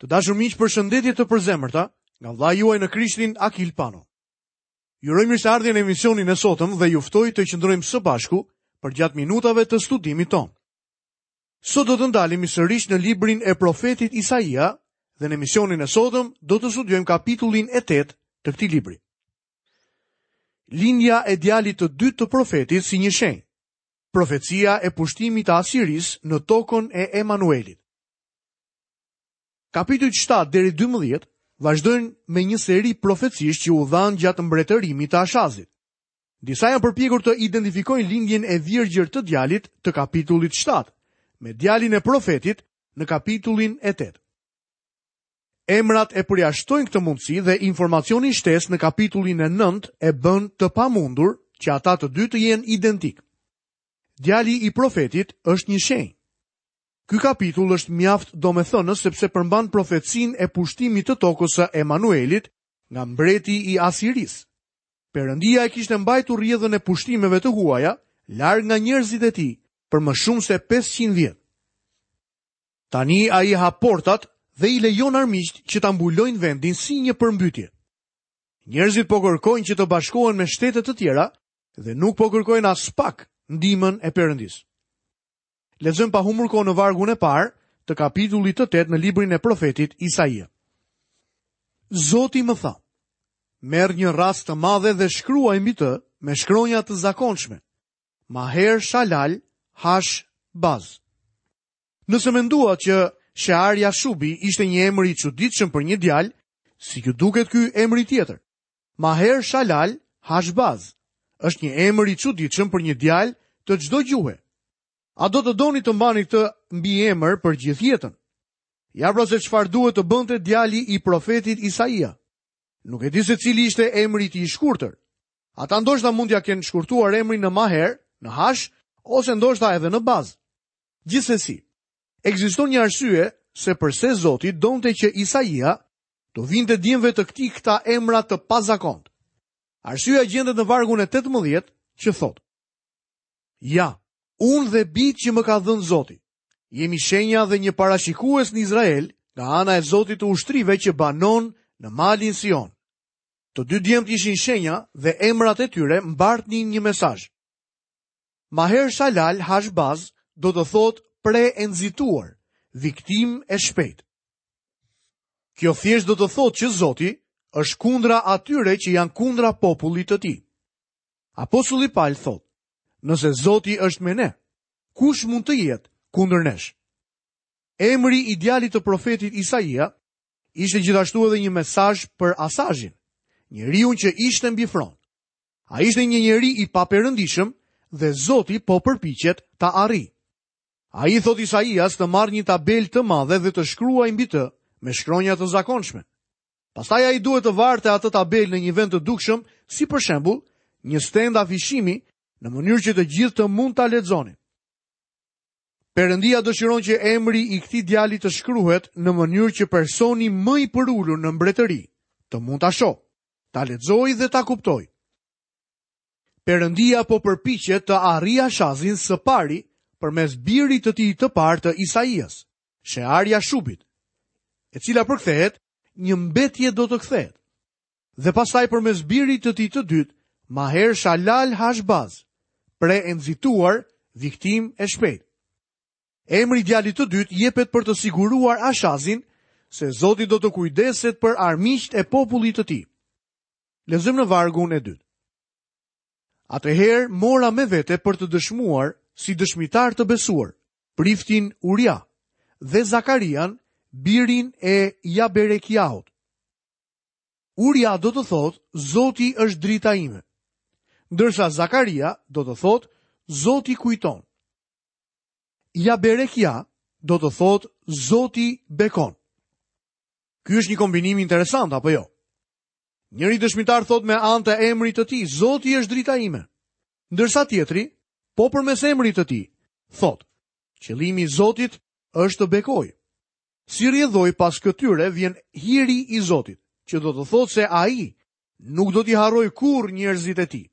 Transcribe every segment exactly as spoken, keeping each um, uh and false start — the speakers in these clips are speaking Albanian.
Të dashur miq, përshëndetje të përzemërta nga vëllai juaj në Krishtin Akil Pano. Ju uroj mirëseardhjen në emisionin e sotëm dhe ju ftoj të qëndrojmë së bashku përgjatë minutave të studimit tonë. Sot do të ndalemi sërish në librin e profetit Isaia dhe në emisionin e sotëm do të studiojmë kapitullin e tetë të këtij libri. Lindja e djalit të dytë të profetit si një shenjë. Profecia e pushtimit të Asirisë në tokën e Emanuelit. Kapitujt shtatë deri dymbëdhjetë vazhdojnë me një seri profecish që u dhanë gjatë mbretërimit të Ashazit. Disa janë përpjekur të identifikojnë lindjen e virgjër të djalit të kapitullit shtatë me djalin e profetit në kapitullin e tetë. Emrat e përjashtojnë këtë mundësi dhe informacioni shtesë në kapitullin e nëntë e bën të pamundur që ata të dy të jenë identik. Djali i profetit është një shenjë. Ky kapitull është mjaft domethënës sepse përmban profecinë e pushtimit të tokës së Emanuelit nga mbreti i Asirisë. Perëndia e kishte mbajtur rrjedhën e pushtimeve të huaja larg nga njerëzit e tij për më shumë se pesëqind vjet. Tani ai hap portat dhe i lejon armiqt që ta mbulojnë vendin si një përmbytje. Njerëzit po kërkojnë që të bashkohen me shtete të tjera dhe nuk po kërkojnë as pak ndihmën e Perëndisë. Lexojmë pa humbur kohë në vargun e parë të kapitullit të tetë në librin e profetit Isaia. Zoti më tha: merr një rrast të madhe dhe shkruaj mbi të me shkronja të zakonshme. Maher Shalal Hash Baz. Nëse menduat që Shear Jashubi ishte një emër i çuditshëm për një djalë, si ju duket ky emri tjetër? Maher Shalal Hash Baz është një emër i çuditshëm për një djalë të çdo gjuhe. A do të doni të mbani këtë mbiemër për gjithë jetën? Ja pra se çfarë duhet të bënte djali i profetit Isaia. Nuk e di se cili ishte emri i tij i shkurtër. Ata ndoshta mund t'ia kenë shkurtuar emrin në Maher, në Hash, ose ndoshta edhe në Baz. Gjithsesi, ekziston një arsye se përse Zoti donte që Isaia të vinte djemve të këtij këta emra të pazakont. Arsyeja gjendet në vargun e tetëmbëdhjetë që thotë: Ja, unë dhe bijtë që më ka dhënë Zoti, jemi shenja dhe një parashikues në Izrael nga ana e Zotit të ushtrive që banon në malin Sion. Të dy djemtë ishin shenja dhe emrat e tyre mbartnin një mesazh. Maher Shalal Hashbaz do të thotë pre e nxituar, viktim e shpejtë. Kjo thjesht do të thotë që Zoti është kundra atyre që janë kundra popullit të tij. Apostulli Paul thotë: nëse Zoti është me ne, kush mund të jetë kundër nesh? Emri i djalit të profetit Isaia ishte gjithashtu edhe një mesazh për Asazhin, njeriu që ishte mbi fron. Ai ishte një njeri i paperëndishëm dhe Zoti po përpiqet ta arrijë. Ai i thot Isaias të marrë një tabelë të madhe dhe të shkruajë mbi të me shkronja të zakonshme. Pastaj ai duhet të varte atë tabelë në një vend të dukshëm, si për shembull një stend afishimi, në mënyrë që të gjithë të mund ta lexonin. Perëndia dëshiron që emri i këtij djali të shkruhet në mënyrë që personi më i përulur në mbretëri të mund ta shohë, ta lexojë dhe ta kuptojë. Perëndia po përpiqet të arrijë Ashazin së pari përmes birit të tij të parë të Isaias, Shear Jashubit, e cila përkthehet një mbetje do të kthehet. Dhe pastaj përmes birit të tij të dytë, Maher Shalal Hashbaz, pre e nxituar, viktim e shpejtë. Emri i djalit të dytë jepet për të siguruar Ashazin se Zoti do të kujdeset për armiqtë e popullit të tij. Lexojmë në vargun e dytë. Atëherë mora me vete për të dëshmuar si dëshmitar të besuar priftin Uria dhe Zakarian, birin e Jaberekiahut. Uria do të thotë Zoti është drita ime, ndërsa Zakaria do të thotë Zoti kujton. Jaberekia do të thotë Zoti bekon. Ky është një kombinim interesant, apo jo? Njëri dëshmitar thotë me anë të emrit të tij, Zoti është drita ime. Ndërsa tjetri, po përmes emrit të tij, thotë, qëllimi i Zotit është të bekojë. Si rrjedhoi pas këtyre vjen hiri i Zotit, që do të thotë se ai nuk do t'i harrojë kurrë njerëzit e tij.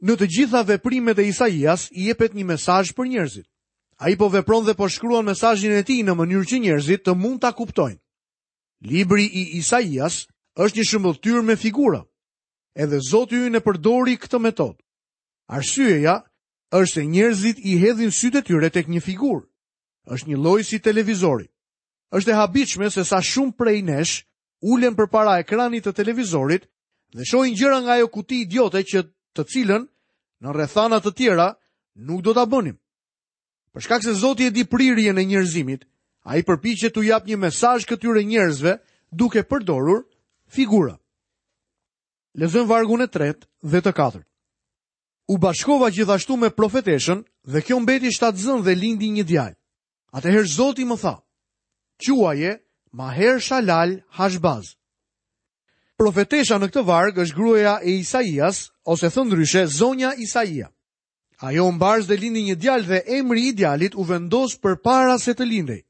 Në të gjitha veprimet e Isaias i jepet një mesazh për njerëzit. Ai po vepron dhe po shkruan mesazhin e tij në mënyrë që njerëzit të mund ta kuptojnë. Libri i Isaias është një shëmbëlltyrë me figura. Edhe Zoti ynë e përdori këtë metodë. Arsyeja është se njerëzit i hedhin sytë e tyre tek një figurë. Është një lloj si televizori. Është e habitshme se sa shumë prej nesh ulen përpara ekranit të televizorit dhe shohin gjëra nga ajo kuti idiote që të cilën në rrethana të tjera nuk do ta bënim. Për shkak se Zoti e di prirjen e njerëzimit, ai përpiqet t'u jap një mesazh këtyre njerëzve duke përdorur figura. Lexojmë vargun e tretë dhe të katërt. U bashkova gjithashtu me profeteshën dhe kjo mbeti shtatzën dhe lindi një djalë. Atëherë Zoti më tha: "Quaje Maher Shalal Hashbaz." Profetesha në këtë varg është gruaja e Isaias, ose thënë ndryshe, zonja Isaia. Ajo u mbars dhe lindi një djalë dhe emri i djalit u vendos përpara se të lindej.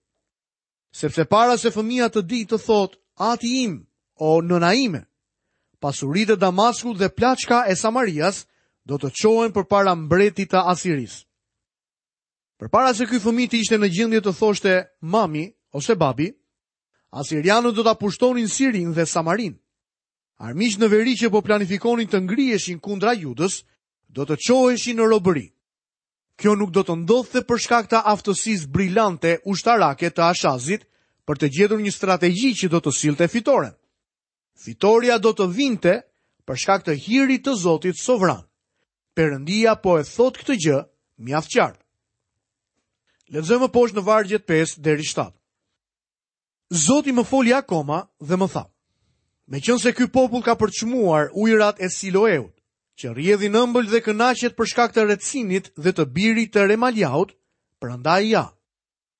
Sepse para se fëmia të dijë të thotë, "Ati im, o nëna ime", pasuritë e Damaskut dhe plaçka e Samarias do të çohen përpara mbretit të Asirisë. Përpara se ky fëmijë të ishte në gjendje të thoshte mami ose babi, asirianët do ta pushtonin Sirinë dhe Samarinë. Armiqtë në veri që po planifikonin të ngriheshin kundra Judës, do të çoheshin në robëri. Kjo nuk do të ndodhte për shkak të aftësisë brillante ushtarake të Ashazit për të gjetur një strategji që do të sillte fitoren. Fitoria do të vinte për shkak të hirit të Zotit sovran. Perëndia po e thot këtë gjë mjaft qartë. Lexojmë më poshtë në vargjet pesë deri shtatë. Zoti më foli akoma dhe më tha: "Meqense ky popull ka përçmuar ujërat e Siloeut, që rrjedhin ëmbël dhe kënaqet për shkak të Retsinit dhe të birit të Remaliaut, prandaj ja,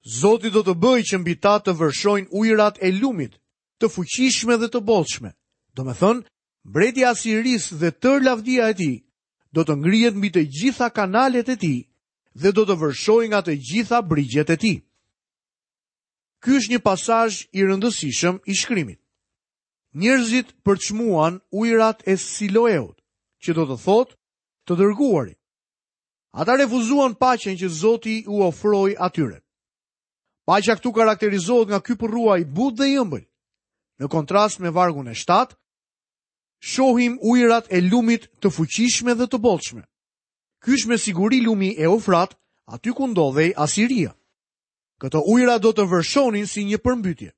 Zoti do të bëjë që mbi ta të vërshojnë ujërat e lumit, të fuqishme dhe të bollshme. Domethënë, mbreti i Asirisë dhe tërë lavdia e tij do të ngrihet mbi të gjitha kanalet e tij dhe do të vërshojë nga të gjitha brigjet e tij." Ky është një pasazh i rëndësishëm i shkrimit. Njerëzit përçmuan ujërat e Siloeut, që do të thotë të dërguarit. Ata refuzuan paqen që Zoti u ofroi atyre. Paqja këtu karakterizohet nga ky përrua i butë dhe i ëmbël. Në kontrast me vargun e shtatë, shohim ujërat e lumit të fuqishme dhe të bollshme. Ky është me siguri lumi Eufrat, aty ku ndodhej Asiria. Këto ujëra do të vërshonin si një përmbytje.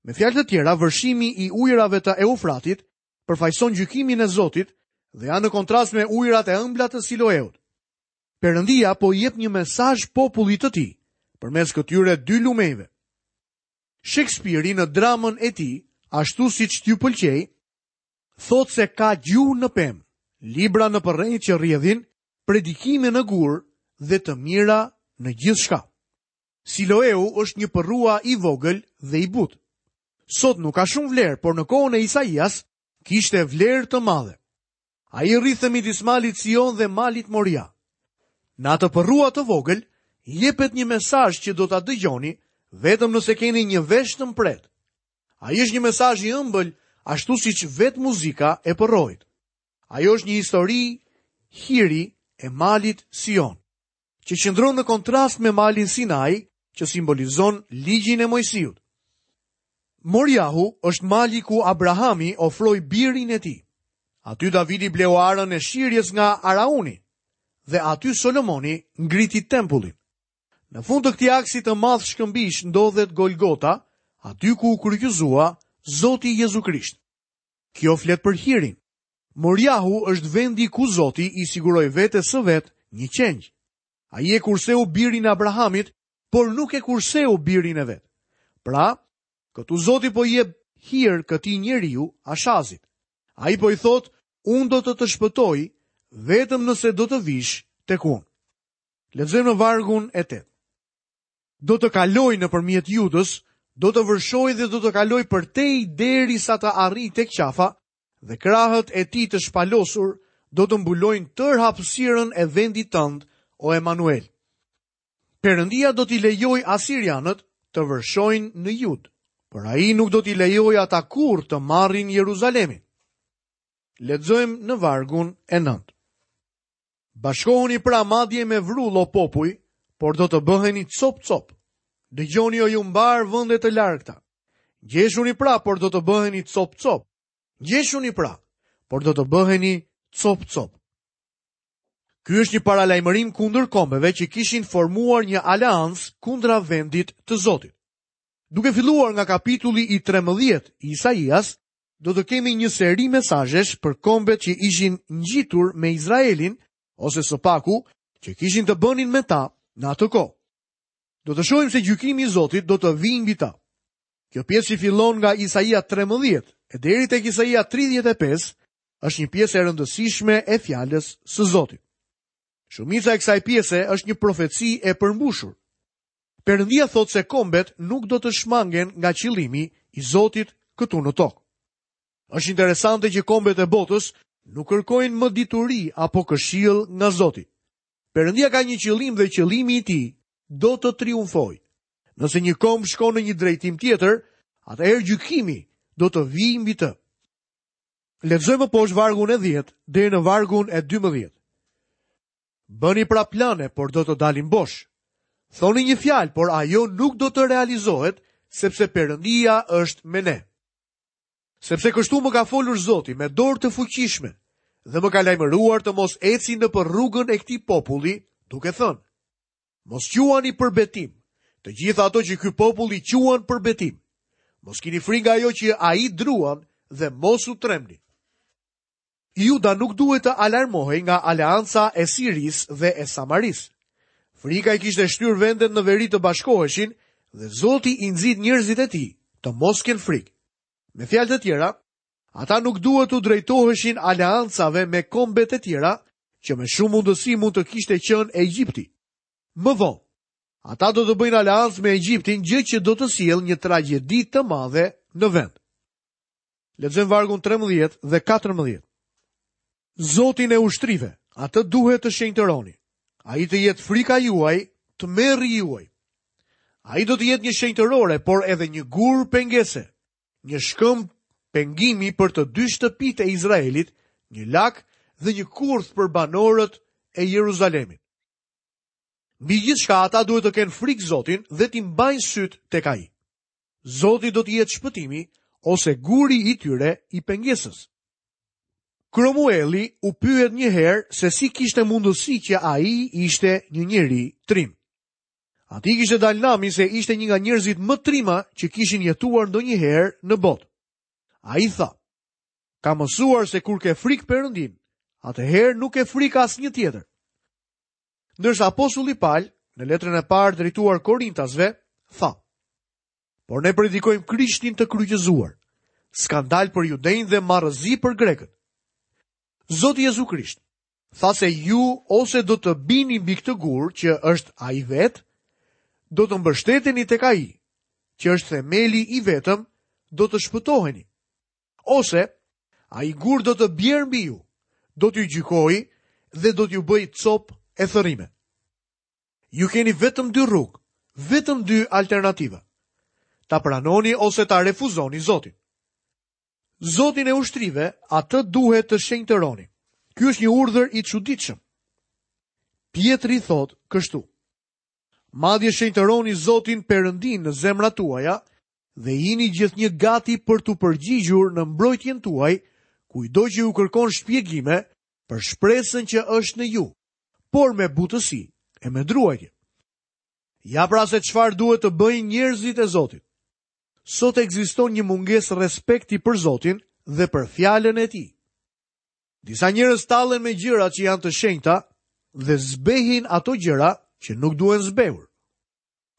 Me fjalë të tjera, vërshimi i ujërave të Eufratit përfaqëson gjykimin e Zotit dhe janë në kontrast me ujërat e ëmbla të Siloeut. Perëndia po i jep një mesazh popullit të tij përmes këtyre dy lumejve. Shekspiri në dramën e tij, ashtu siç t'ju pëlqej, thotë se ka gjuhë në pemë, libra në përrenjt që rrjedhin, predikime në gur dhe të mira në gjithçka. Siloeu është një përrua i vogël dhe i butë. Sot nuk ka shumë vlerë, por në kohën e Isaias kishte vlerë të madhe. Ai rrithe midis malit Sion dhe malit Moria. Në atë përrua të vogël jepet një mesazh që do ta dëgjoni vetëm nëse keni një vesh të mprehtë. Ai është një mesazh i ëmbël, ashtu siç vetë muzika e përroit. Ajo është një histori hiri e malit Sion, që qëndron në kontrast me malin Sinai, që simbolizon ligjin e Moisiut. Moriahu është mali ku Abrahami ofroi birin e tij. Aty Davidi bleu arën e shirjes nga Arauni dhe aty Solomoni ngriti tempullin. Në fund të këtij aksi të madh shkëmbish ndodhet Golgota, aty ku u kryqëzua Zoti Jezu Krisht. Kjo flet për hirin. Moriahu është vendi ku Zoti i siguroi vetes së vet një qengj. Ai e kurseu birin e Abrahamit, por nuk e kurseu birin e vet. Pra, këtu Zoti po i jep hir këtij njeriu, Ashazit. Ai po i thot, unë do të të shpëtoj vetëm nëse do të vish tek unë. Lexojmë në vargun e tetë. Do të kaloj nëpërmjet Judës, do të vërshoj dhe do të kaloj përtej derisa të arrij tek qafa, dhe krahët e tij të shpalosur do të mbulojnë tërë hapësirën e vendit tënd, o Emanuel. Perëndia do t'i lejoj asirianët të vërshojnë në Jud, por ai nuk do t'i lejoj ata kurrë të marrin Jeruzalemin. Lexojmë në vargun e nëntë. Bashkohuni pra madje me vrull o popuj, por do të bëheni copë-copë. Dëgjoni o ju mbarë vende të largëta. Ngjeshuni pra, por do të bëheni copë-copë. Ngjeshuni pra, por do të bëheni copë-copë. Ky është një paralajmërim kundër kombeve që kishin formuar një aleancë kundra vendit të Zotit. Duke filluar nga kapitulli i trembëdhjetë i Isaias, do të kemi një seri mesazhesh për kombet që ishin ngjitur me Izraelin, ose së paku që kishin të bënin me ta në atë kohë. Do të shohim se gjykimi i Zotit do të vijë mbi ta. Kjo pjesë që fillon nga Isaia trembëdhjetë e deri tek Isaia tridhjetë e pesë është një pjesë e rëndësishme e fjalës së Zotit. Shumica e kësaj pjese është një profeci e përmbushur. Perëndia thotë se kombet nuk do të shmangen nga qëllimi i Zotit këtu në tokë. Është interesante që kombet e botës nuk kërkojnë më dituri apo këshill nga Zoti. Perëndia ka një qëllim dhe qëllimi i tij do të triumfojë. Nëse një komb shkon në një drejtim tjetër, atëherë gjykimi do të vijë mbi të. Lexojmë poshtë vargun e dhjetë deri në vargun e dymbëdhjetë. Bëni pra plane, por do të dalin bosh. Thoni një fjalë, por ajo nuk do të realizohet, sepse Perëndia është me ne. Sepse kështu më ka folur Zoti me dorë të fuqishme dhe më ka lajmëruar të mos eci nëpër rrugën e këtij populli, duke thënë: Mos quani për betim të gjitha ato që ky popull i quan për betim. Mos kini frikë nga ajo që ai druan dhe mos u trembni. Juda nuk duhet të alarmohej nga aleanca e Sirisë dhe e Samarisë. Frika i kishte shtyrë vendet në veri të bashkoheshin dhe Zoti i nxit njerëzit e tij të mos kenë frikë. Me fjalë të tjera, ata nuk duhet t'u drejtoheshin aleancave me kombet e tjera, që me shumë mundësi mund të kishte qenë Egjipti. Më vonë, ata do të bëjnë aleancë me Egjiptin, gjë që do të sjellë një tragjedi të madhe në vend. Lexojmë vargun trembëdhjetë dhe katërmbëdhjetë. Zotin e ushtrive, atë duhet të shenjtëroni. Ai të jetë frika juaj, tmerri juaj. Ai do të jetë një shenjtërore, por edhe një gur pengese, një shkëmb pengimi për të dy shtëpitë e Izraelit, një lak dhe një kurth për banorët e Jeruzalemit. Mbi gjithçka ata duhet të kenë frikë Zotin dhe t'i mbajnë syt tek ai. Zoti do të jetë shpëtimi ose guri i tyre i pengesës. Kromueli u pyet një herë se si kishte mundësi që ai ishte një njeri trim. Ati kishte dalë nami se ishte një nga njerëzit më trima që kishin jetuar ndonjëherë në botë. Ai tha: Ka mësuar se kur ke frikë Perëndin, atëherë nuk ke frikë asnjë tjetër. Ndërsa apostulli Paul, në letrën e parë drejtuar Korintasve, tha: Por ne predikojmë Krishtin të kryqëzuar, skandal për judejnë dhe marrëzi për grekët. Zoti Jezu Krisht tha se ju ose do të bini mbi këtë gur që është ai vet, do të mbështeteni tek ai, që është themeli i vetëm, do të shpëtoheni. Ose ai gur do të bjerë mbi ju, do t'ju gjykojë dhe do t'ju bëjë copë e thërrime. Ju keni vetëm dy rrugë, vetëm dy alternativa. Ta pranoni ose ta refuzoni Zotin. Zotin e ushtrive, atë duhet të shenjtëroni. Ky është një urdhër i çuditshëm. Pietri thot kështu: Madje shenjtëroni Zotin Perëndin në zemrat tuaja dhe jini gjithnjë gati për t'u përgjigjur në mbrojtjen tuaj, kujdo që ju kërkon shpjegime për shpresën që është në ju, por me butësi e me druajtje. Ja pra se çfarë duhet të bëjnë njerëzit e Zotit. Sot ekziston një mungesë respekti për Zotin dhe për fjalën e tij. Disa njerëz tallen me gjërat që janë të shenjta dhe zbehin ato gjëra që nuk duhen zbehur.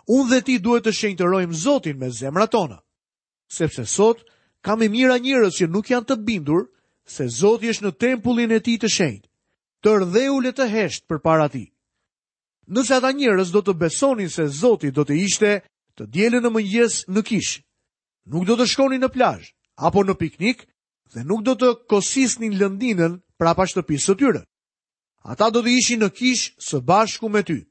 Unë dhe ti duhet të shenjtërojmë Zotin me zemrat tona, sepse sot ka me mijëra njerëz që nuk janë të bindur se Zoti është në tempullin e tij të shenjtë. Tërë dheu le të hesht përpara tij. Nëse ata njerëz do të besonin se Zoti do të ishte të dielën në mëngjes në kishë, nuk do të shkonin në plazh apo në piknik dhe nuk do të kosisnin lëndinën prapa shtëpisë së tyre. Ata do të ishin në kishë së bashku me ty.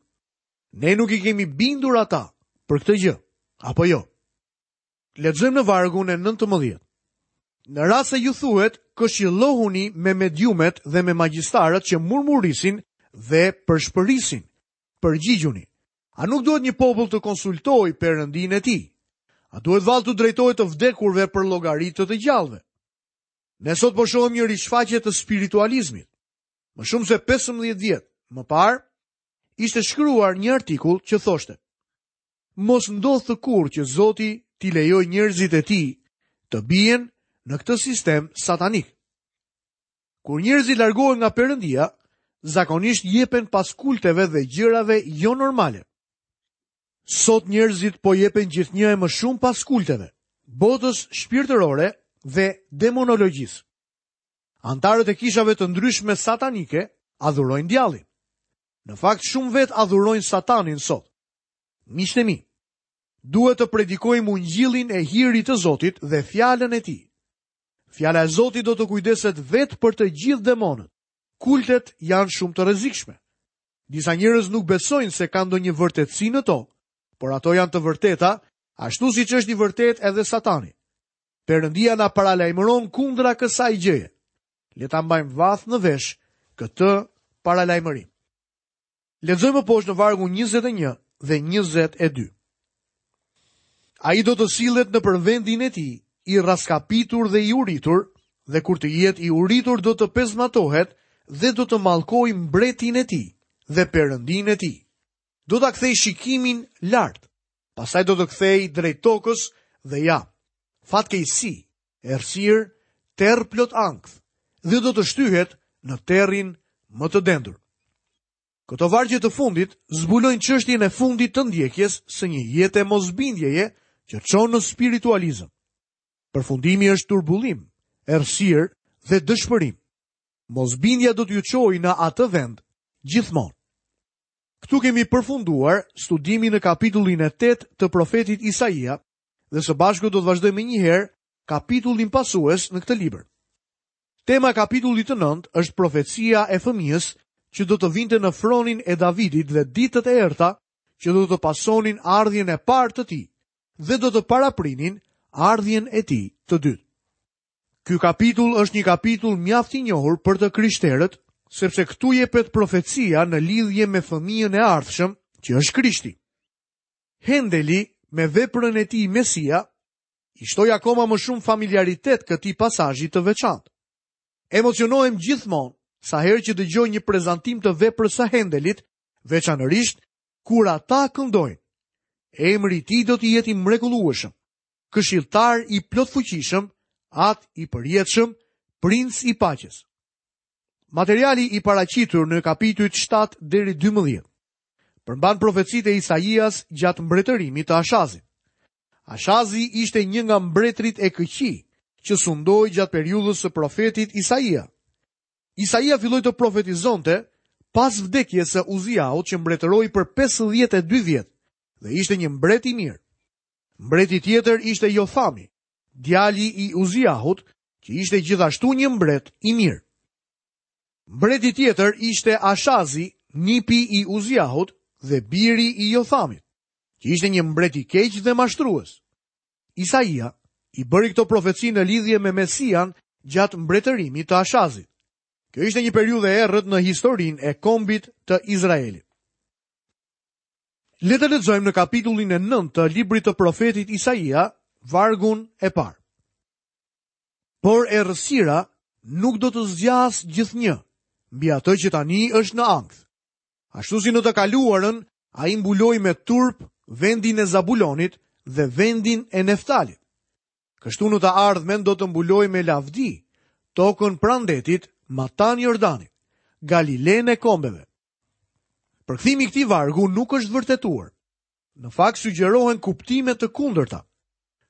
Ne nuk i kemi bindur ata për këtë gjë, apo jo? Lexojmë në vargun e nëntëmbëdhjetë. Në rast se ju thuhet, këshillohuni me mediumet dhe me magjistarët që murmurisin dhe përshpërisin. Përgjigjuni. A nuk duhet një popull të konsultojë Perëndinë e tij? A duhet vallë t'u drejtohet të vdekurve për llogari të të gjallëve? Ne sot po shohim një rishfaqje të spiritualizmit. Më shumë se pesëmbëdhjetë vjet më parë, ishte shkruar një artikull që thoshte: Mos ndodhtë kurrë që Zoti t'i lejojë njerëzit e tij të bien në këtë sistem satanik. Kur njerëzit largohen nga Perëndia, zakonisht jepen pas kulteve dhe gjërave jo normale. Sot njerëzit po jepen gjithnjë e më shumë pas kulteve, botës shpirtërore dhe demonologjisë. Antarët e kishave të ndryshme satanike adhurojnë djallin. Në fakt, shumë vetë adhurojnë satanin sot. Miqtë e mi, duhet të predikojmë ungjillin e hirit të Zotit dhe fjalën e tij. Fjala e Zotit do të kujdeset vetë për të gjithë demonët. Kultet janë shumë të rrezikshme. Disa njerëz nuk besojnë se ka ndonjë vërtetësi në to, por ato janë të vërteta, ashtu siç është i vërtet edhe Satani. Perëndia na paralajmëron kundra kësaj gjëje. Le ta mbajmë vath në vesh këtë paralajmërim. Lexojmë poshtë në vargun njëzet e një dhe njëzet e dy. Ai do të sillet në përvendin e tij, i raskapitur dhe i uritur, dhe kur të jetë i uritur do të pezmatohet dhe do të mallkojë mbretin e tij dhe perëndin e tij. Do ta kthej shikimin lart, pastaj do të kthej drejt tokës dhe ja, fatkeqësi, errësirë, terr plot ankth, dhe do të shtyhet në terrin më të dendur. Këto vargje të fundit zbulojnë çështjen e fundit të ndjekjes së një jete mosbindjeje që çon në spiritualizëm. Përfundimi është turbullim, errësirë dhe dëshpërim. Mosbindja do t'ju çojë në atë vend gjithmonë. Këtu kemi përfunduar studimin në kapitullin e tetë të profetit Isaia dhe së bashku do të vazhdojmë menjëherë kapitullin pasues në këtë libër. Tema e kapitullit të nëntë është profecia e fëmijës që do të vinte në fronin e Davidit dhe ditët e errta që do të pasonin ardhjen e parë të tij dhe do të paraprinin ardhjen e tij të dytë. Ky kapitull është një kapitull mjaft i njohur për të krishterët, sepse këtu jepet profecia në lidhje me fëmijën e ardhshëm, që është Krishti. Hendeli me veprën e tij Mesia i shtoi akoma më shumë familiaritet këtij pasazhi të veçantë. Emocionohem gjithmonë sa herë që dëgjoj një prezantim të veprës së Hendelit, veçanërisht kur ata këndojnë. Emri i tij do të jetë i mrekullueshëm, këshilltar i plotfuqishëm, at i përjetshëm, princ i paqes. Materiali i paraqitur në kapitujt shtatë deri dymbëdhjetë përmban profecitë e Isaias gjatë mbretërimit të Ashazit. Ashazi ishte një nga mbretërit e këqij që sundoi gjatë periudhës së profetit Isaia. Isaia filloi të profetizonte pas vdekjes së Uziahut që mbretëroi për pesëdhjetë e dy vjet dhe ishte një mbret i mirë. Mbreti tjetër ishte Jothami, djali i Uziahut, që ishte gjithashtu një mbret i mirë. Mbreti tjetër ishte Ashazi, nipi i Uziahut dhe biri i Jothamit, që ishte një mbret i keq dhe mashtrues. Isaia i bëri këto profeci në lidhje me Mesian gjatë mbretërimit të Ashazit. Kjo ishte një periudhë e errët në historinë e kombit të Izraelit. Le të lexojmë në kapitullin e nëntë të librit të profetit Isaia, vargun e parë. Por errësira nuk do të zgjas gjithnjë mbi atë që tani është në ankth. Ashtu si në të kaluarën, ai mbuloi me turp vendin e Zabulonit dhe vendin e Neftalit. Kështu në të ardhmen do të mbuloj me lavdi tokën pranë detit, matan Jordanit, Galilenë e kombeve. Përkthimi i këtij vargu nuk është vërtetuar. Në fakt sugjerohen kuptime të kundërta.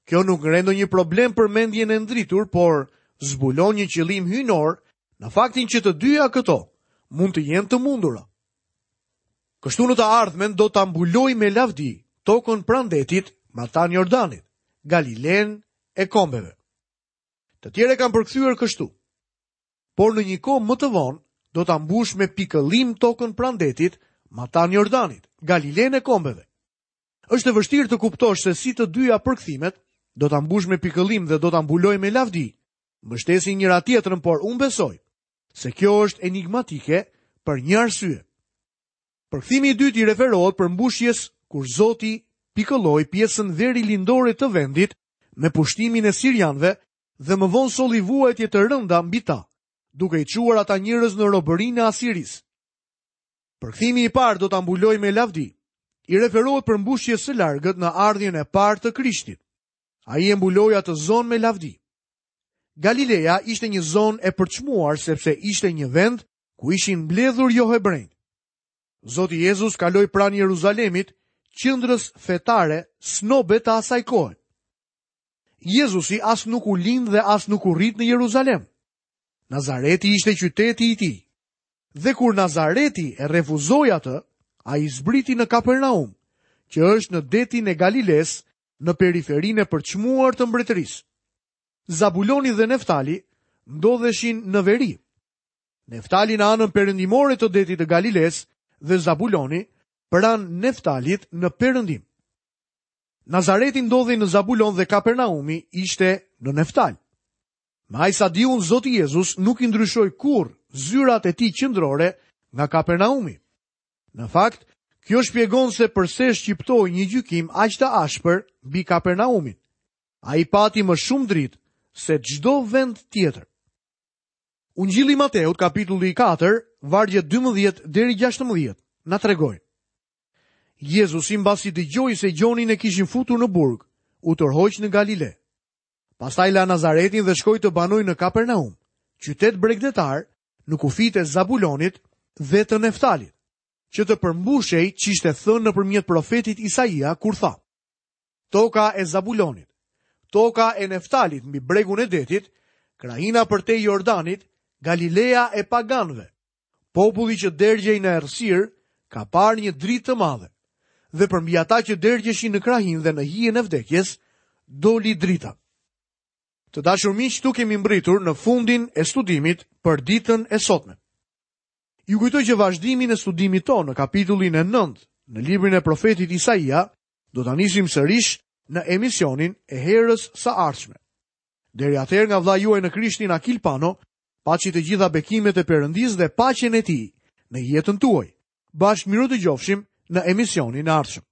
Kjo nuk ngre ndonjë problem për mendjen e ndritur, por zbulon një qëllim hyjnor në faktin që të dyja këto mund të jenë të mundura. Kështu në të ardhmen do ta mbuloj me lavdi tokën pranë detit, matan Jordanit, Galilenë e kombeve. Të tjerë e kanë përkthyer kështu. Por në një kohë më të vonë do ta mbush me pikëllim tokën pranë detit, matan Jordanit, Galilenë e kombeve. Është e vështirë të kuptosh se si të dyja përkthimet, do ta mbush me pikëllim dhe do ta mbuloj me lavdi, mbështesin njëra tjetrën, por unë besoj se kjo është enigmatike për një arsye. Përkthimi i dytë i referohet përmbushjes kur Zoti pikëlloi pjesën verilindore të vendit me pushtimin e sirianëve dhe më vonë solli vuajtje të rënda mbi ta, duke i çuar ata njerëz në robërinë e Asirisë. Përkthimi i parë do ta mbuloj me lavdi. I referohet përmbushjes së largët në ardhjen e parë të Krishtit. Ai e mbuloi atë zonë me lavdi. Galileja ishte një zonë e përçmuar sepse ishte një vend ku ishin mbledhur jo hebrejt. Zoti Jezus kaloi pranë Jeruzalemit, qendrës fetare snobe të asaj kohe. Jezusi as nuk u lind dhe as nuk u rrit në Jeruzalem. Nazareti ishte qyteti i tij. Dhe kur Nazareti e refuzoi atë, ai zbriti në Kapernaum, që është në detin e Galiles, në periferinë e përçmuar të mbretërisë. Zabuloni dhe Neftali ndodheshin në veri. Neftali në anën perëndimore të detit të Galiles dhe Zabuloni pranë Neftalit në perëndim. Nazareti ndodhej në Zabulon dhe Kapernaumi ishte në Neftal. Me aq sa di unë, Zoti Jezus nuk i ndryshoi kurrë zyrat e tij qendrore nga Kapernaumi. Në fakt, kjo shpjegon se përse shqiptoi një gjykim aq të ashpër mbi Kapernaumin. Ai pati më shumë dritë se çdo vend tjetër. Ungjilli i Mateut, kapitulli katër, vargjet dymbëdhjetë deri gjashtëmbëdhjetë, na tregojnë. Jezusi mbasi dëgjoi se Gjonin e kishin futur në burg, u tërhoq në Galile. Pastaj la Nazaretin dhe shkoi të banojë në Kapernaum, qytet bregdetar në kufijtë e Zabulonit dhe të Neftalit, që të përmbushej ç'ishte thënë nëpërmjet profetit Isaia kur tha: Toka e Zabulonit, toka e Neftalit mbi bregun e detit, krahina përtej Jordanit, Galilea e paganëve. Populli që dergjej në errësirë ka parë një dritë të madhe, dhe përmbi ata që dergjeshin në krahinë dhe në hijen e vdekjes, doli drita. Të dashur miq, këtu kemi mbritur në fundin e studimit për ditën e sotme. Ju kujtoj që vazhdimin e studimit tonë në kapitullin e nëntë në librin e profetit Isaia do ta nisim sërish në emisionin e herës së ardhshme. Deri atëherë nga vëllai juaj në Krishtin Akil Pano, paçi të gjitha bekimet e Perëndisë dhe paqen e tij në jetën tuaj. Bashkë mirudëgjofshim në emisionin e ardhshëm.